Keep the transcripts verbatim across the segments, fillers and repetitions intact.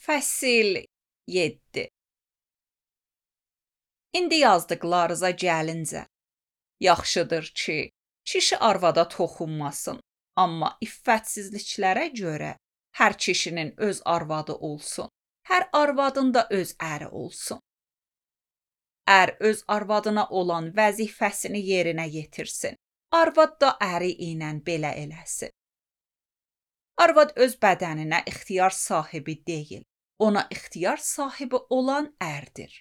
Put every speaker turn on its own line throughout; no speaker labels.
Fəsil yeddi. İndi yazdıqlarınıza gəlincə, yaxşıdır ki, kişi arvada toxunmasın, amma iffətsizliklərə görə hər kişinin öz arvadı olsun, hər arvadın da öz əri olsun. Ər öz arvadına olan vəzifəsini yerinə yetirsin, arvad da əri ilə belə eləsin. Arvad öz bədəninə ixtiyar sahibi deyil, ona ixtiyar sahibi olan ərdir.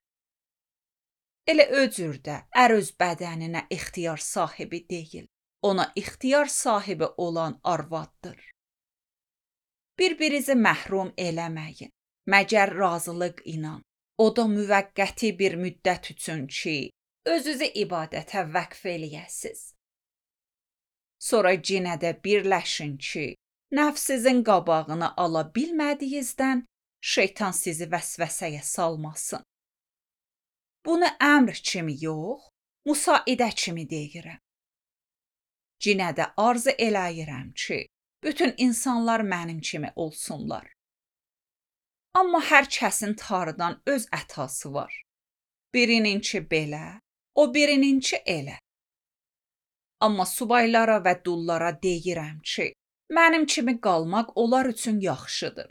Elə o cür də ər öz bədəninə ixtiyar sahibi deyil, ona ixtiyar sahibi olan arvaddır. Bir-birinizi məhrum eləməyin, məgər razılıq ilə, o da müvəqqəti bir müddət üçün ki, özünüzü ibadətə vəqf eləyəsiz. Sonra yenə də birləşin ki, nəfsinizin qabağını ala bilmədiyinizdən şeytan sizi vəsvəsəyə salmasın. Bunu əmr kimi yox, müsaidə kimi deyirəm. Yenə də arzu eləyirəm ki, bütün insanlar mənim kimi olsunlar. Amma hər kəsin tarıdan öz ətası var. Birininki belə, o birininki elə. Amma subaylara və dullara deyirəm ki, mənim kimi qalmaq onlar üçün yaxşıdır.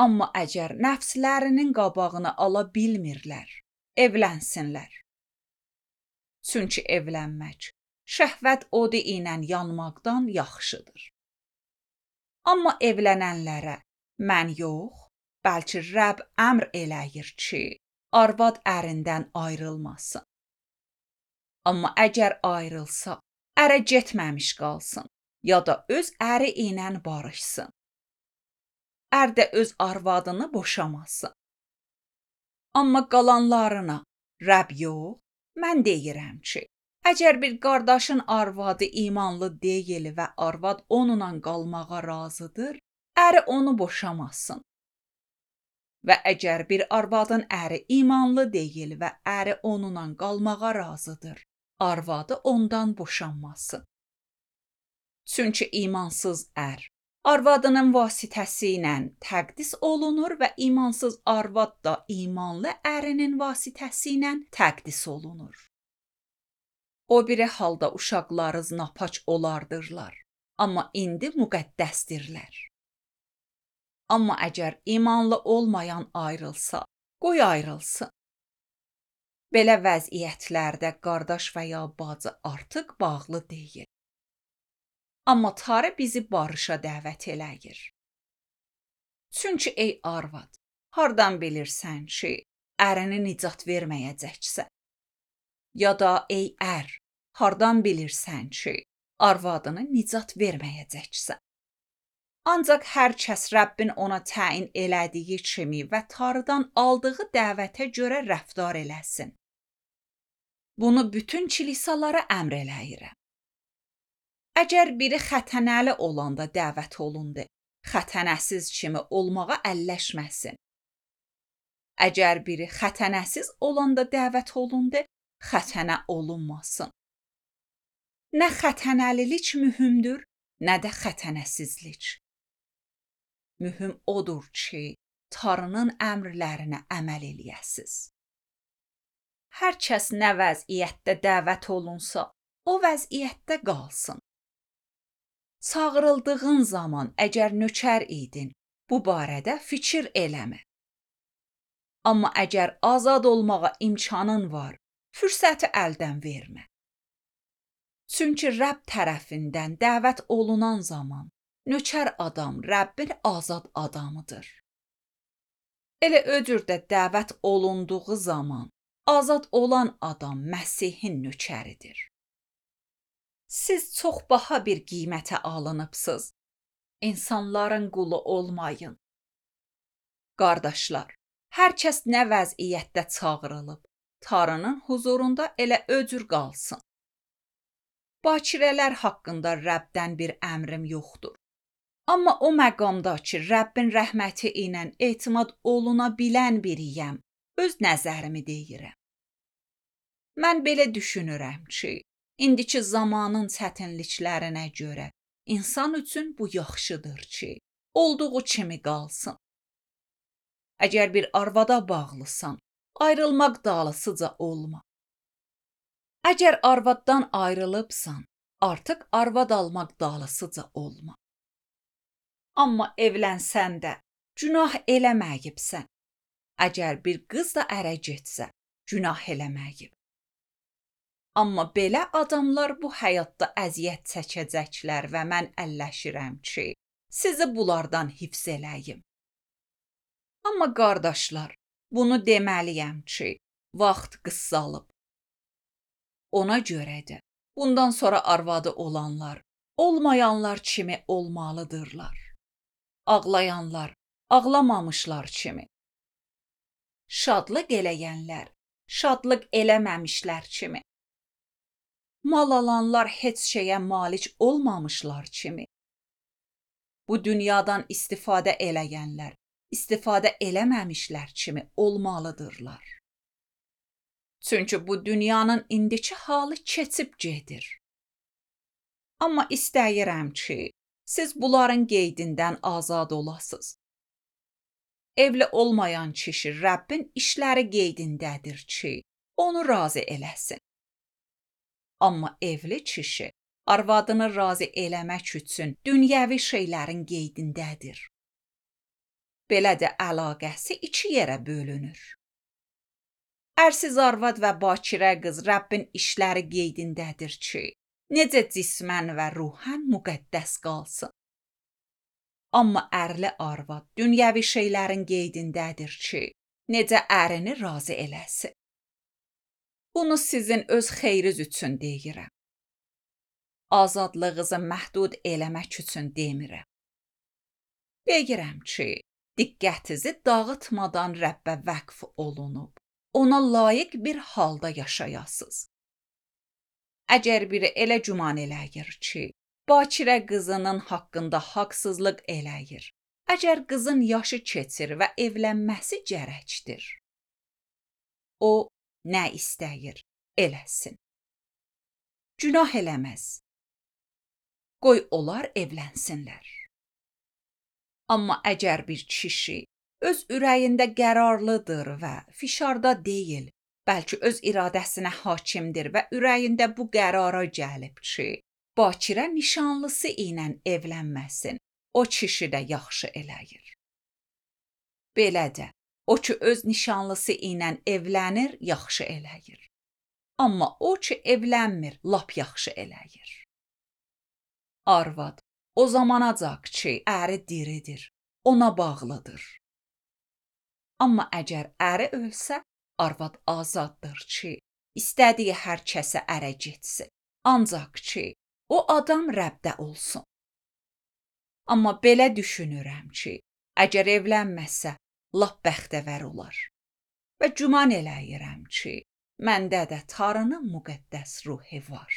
Amma əgər nəfslərinin qabağını ala bilmirlər, evlənsinlər. Çünki evlənmək, şəhvət odu ilə yanmaqdan yaxşıdır. Amma evlənənlərə mən yox, bəlkə Rəbb əmr eləyir ki, arvad ərindən ayrılmasın. Amma əgər ayrılsa, ərə getməmiş qalsın, ya da öz əri ilə barışsın. Ər də öz arvadını boşamasın. Amma qalanlarına Rəbb yox, mən deyirəm ki, əgər bir qardaşın arvadı imanlı deyil və arvad onunla qalmağa razıdır, əri onu boşamasın. Və əgər bir arvadın əri imanlı deyil və əri onunla qalmağa razıdır, arvadı ondan boşanmasın. Çünki imansız ər arvadının vasitəsi ilə təqdis olunur və imansız arvad da imanlı ərinin vasitəsi ilə təqdis olunur. O biri halda uşaqlarınız napaç olardırlar, amma indi müqəddəsdirlər. Amma əgər imanlı olmayan ayrılsa, qoy ayrılsın. Belə vəziyyətlərdə qardaş və ya bacı artıq bağlı deyil. Amma Tanrı bizi barışa dəvət eləyir. Çünki ey arvad, hardan bilirsən ki, ərini nicat verməyəcəksən? Ya da ey ər, hardan bilirsən ki, arvadını nicat verməyəcəksən? Ancaq hər kəs Rəbbin ona təyin elədiyi kimi və Tanrıdan aldığı dəvətə görə rəftar eləsin. Bunu bütün kilisalara əmr eləyirəm. Əgər biri xətənəli olanda dəvət olundu, xətənəsiz kimi olmağa əlləşməsin. Əgər biri xətənəsiz olanda dəvət olundu, xətənə olunmasın. Nə xətənəlilik mühümdür, nə də xətənəsizlik. Mühüm odur ki, Tanrının əmrlərinə əməl eləyəsiz. Hər kəs nə vəziyyətdə dəvət olunsa, o vəziyyətdə qalsın. Çağırıldığın zaman əgər nökər idin, bu barədə fikir eləmə. Amma əgər azad olmağa imkanın var, fürsəti əldən vermə. Çünki Rəbb tərəfindən dəvət olunan zaman, nökər adam Rəbbin azad adamıdır. Elə o cür də dəvət olunduğu zaman, azad olan adam Məsihin nökəridir. Siz çox baha bir qiymətə alınıbsınız. İnsanların qulu olmayın. Qardaşlar, hər kəs nə vəziyyətdə çağırılıb, Tanrının huzurunda elə o cür qalsın. Bakirələr haqqında Rəbbdən bir əmrim yoxdur. Amma o məqamda ki, Rəbbin rəhməti ilə etimad oluna bilən biriyəm, öz nəzərimi deyirəm. Mən belə düşünürəm ki, indiki zamanın çətinliklərinə görə insan üçün bu yaxşıdır ki, olduğu kimi qalsın. Əgər bir arvada bağlısan, ayrılmaq dalısıca olma. Əgər arvaddan ayrılıbsan, artıq arvad almaq dalısıca olma. Amma evlənsən də günah eləməyibsən. Əgər bir qız da ərə getsə, günah eləməyib. Amma belə adamlar bu həyatda əziyyət çəkəcəklər və mən əlləşirəm ki, sizi bunlardan hifz eləyim. Amma qardaşlar, bunu deməliyəm ki, vaxt qısalıb. Ona görə də bundan sonra arvadı olanlar, olmayanlar kimi olmalıdırlar. Ağlayanlar, ağlamamışlar kimi. Şadlıq eləyənlər, şadlıq eləməmişlər kimi. Mal alanlar heç şeyə malik olmamışlar kimi. Bu dünyadan istifadə eləyənlər, istifadə eləməmişlər kimi olmalıdırlar. Çünki bu dünyanın indiki halı keçib gedir. Amma istəyirəm ki, siz bunların qeydindən azad olasınız. Evli olmayan kişi Rəbbin işləri qeydindədir ki, onu razı eləsin. Amma evli kişi arvadını razı eləmək üçün dünyəvi şeylərin qeydindədir. Belə də əlaqəsi iki yerə bölünür. Ərsiz arvad və bakirə qız Rəbbin işləri qeydindədir ki, necə cismən və ruhən müqəddəs qalsın. Amma ərli arvad dünyəvi şeylərin qeydindədir ki, necə ərini razı eləsin. Bunu sizin öz xeyriz üçün deyirəm. Azadlığınızı məhdud eləmək üçün demirəm. Deyirəm ki, diqqətinizi dağıtmadan Rəbbə vəqf olunub, ona layiq bir halda yaşayasınız. Əgər biri elə güman eləyir ki, bakirə qızının haqqında haqsızlıq eləyir, əgər qızın yaşı keçir və evlənməsi gərəkdir, o nə istəyir, eləsin. Günah eləməz. Qoy onlar evlənsinlər. Amma əgər bir kişi öz ürəyində qərarlıdır və fişarda deyil, bəlkə öz iradəsinə hakimdir və ürəyində bu qərara gəlib ki, bakirə nişanlısı ilə evlənməsin, o kişi də yaxşı eləyir. Belə də, o ki öz nişanlısı ilə evlənir, yaxşı eləyir. Amma o ki evlənmir, lap yaxşı eləyir. Arvad o zamanacaq ki, əri diridir, ona bağlıdır. Amma əgər əri ölsə, arvad azaddır ki, istədiyi hər kəsə ərə getsin. Ancaq ki, o adam Rəbdə olsun. Amma belə düşünürəm ki, əgər evlənməsə, lap bəxtəvər olar. Və güman eləyirəm ki, məndə də Tanrının müqəddəs ruhu var.